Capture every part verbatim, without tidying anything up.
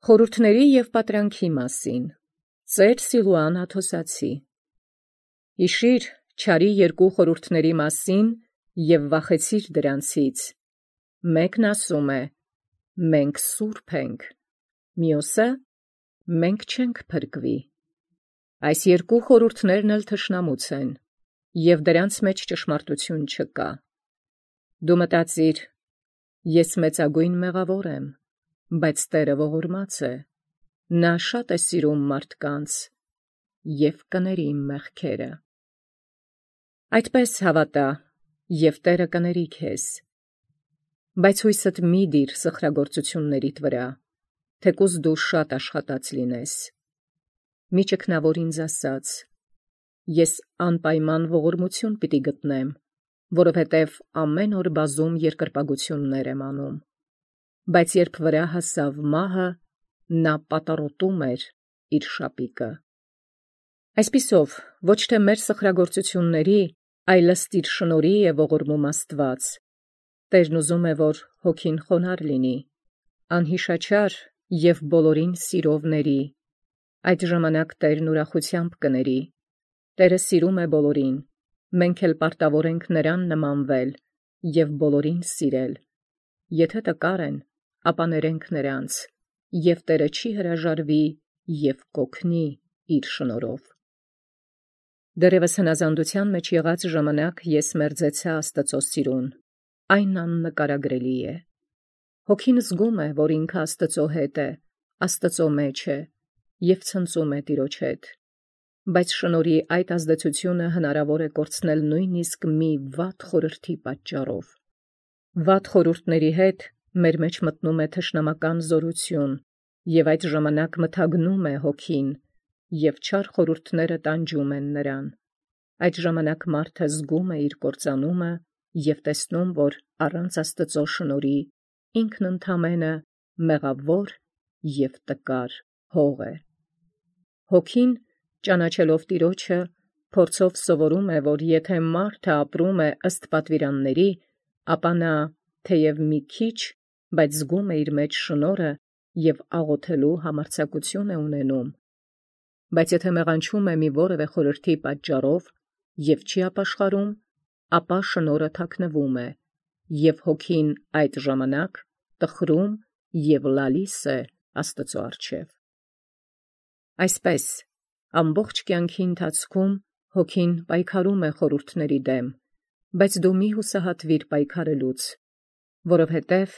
Խորհուրդների և պատրանքի մասին Ծեր Սիլուան Աթոսացի Հիշիր չարի երկու խորհուրդների մասին և վախեցիր դրանցից. մեկն ասում է. մենք սուրբ ենք, մյուսը մենք չենք փրկվի։ Այս երկու խորհուրդներն էլ թշնամուց են, և դրանց մեջ ճշմարտություն չկա։ Դու մտածիր. ես մեծագույն մեղավոր եմ, բայց Տերը ողորմած է, նա շատ է սիրում մարդկանց և կների իմ մեղքերը։ Այդպես հավատա, և Տերը կների քեզ։ Բայց հույսդ մի դիր սխրագործություններիդ վրա, թեկուզ դու շատ աշխատած լինես։ Մի ճգնավոր ինձ ասաց. ես անպայման ողորմություն պիտի գտնեմ, որովհետև ամեն օր բազում երկրպագություններ եմ անում։ Բայց երբ վրա հասավ մահը, նա պատառոտում էր իր շապիկը։ Այսպիսով, ոչ թե մեր սխրագործությունների, այլ ըստ իր շնորհի է ողորմում Աստված։ Տերն ուզում է, որ հոգին խոնարհ լինի, անհիշաչար և բոլորին սիրով ների։ Այդ ժամանակ Տերն ուրախությամբ կների։ Տերը սիրում է բոլորին, մենք էլ պարտավոր ենք նրան նմանվել և բոլորին սիրել։ Եթե տկար են, ապա ներենք նրանց, և Տերը չի հրաժարվի և կօգնի իր շնորհով։ Դեռևս հնազանդության մեջ եղած ժամանակ ես մերձեցա Աստծո սիրուն, այն աննկարագրելի է։ Հոգին զգում է, որ ինքը Աստծո հետ է, Աստծո մեջ է և ցնծում է Տիրոջ հետ։ Բայց շնորհի այդ ազդեցությունը հնարավոր է կորցնել նույնիսկ մի վատ խորհրդի պատճառով։ Վատ խորհուրդների հետ մեր մեջ մտնում է թշնամական զորություն, և այդ ժամանակ մթագնում է հոգին, և չար խորհուրդները տանջում են նրան։ Այդ ժամանակ մարդը զգում է իր կործանումը և տեսնում, որ առանց Աստծո շնորհի ինքն ընդամենը մեղավոր և տկար հող է։ Հոգին, ճանաչելով Տիրոջը, փորձով սովորում է, որ եթե մարդը ապրում է ըստ պատվիրանների, ապա նա թեև մի քիչ, բայց զգում է իր մեջ շնորհը և աղոթելու համարձակություն է ունենում։ Բայց եթե մեղանչում է մի որևէ խորհրդի պատճառով և չի ապաշխարում, ապա շնորհը թաքնվում է, և հոգին այդ ժամանակ տխրում և լալիս է Աստծո առջև։ Այսպես, ամբողջ կյանքի ընթացքում հոգին պայքարում է խորհուրդների դեմ, բայց դու մի հուսահատվիր պայքարելուց, որովհետև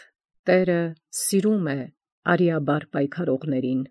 Տերը սիրում է արիաբար պայքարողներին։